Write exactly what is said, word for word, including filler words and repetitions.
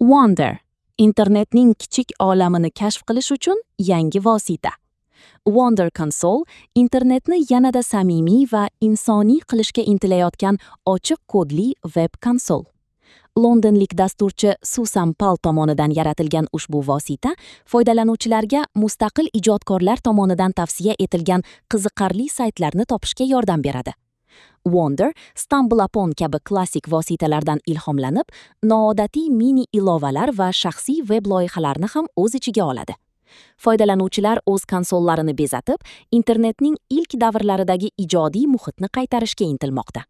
Wonder internetning kichik olamini kashf qilish uchun yangi vosita. Wonder Console internetni yanada samimiy va insoniy qilishga intilayotgan ochiq kodli veb konsol. Londonlik dasturchi Susan Pal tomonidan yaratilgan ushbu vosita foydalanuvchilarga mustaqil ijodkorlar tomonidan tavsiya etilgan qiziqarli saytlarni topishga yordam beradi. Wonder, StumbleUpon kabi klassik vositalardan ilhomlanib, noodatiy mini ilovalar va shaxsiy veb loyihalarni ham o'z ichiga oladi. Foydalanuvchilar o'z konsollarini bezatib, internetning ilk davrlaridagi ijodiy muhitni qaytarishga intilmoqda.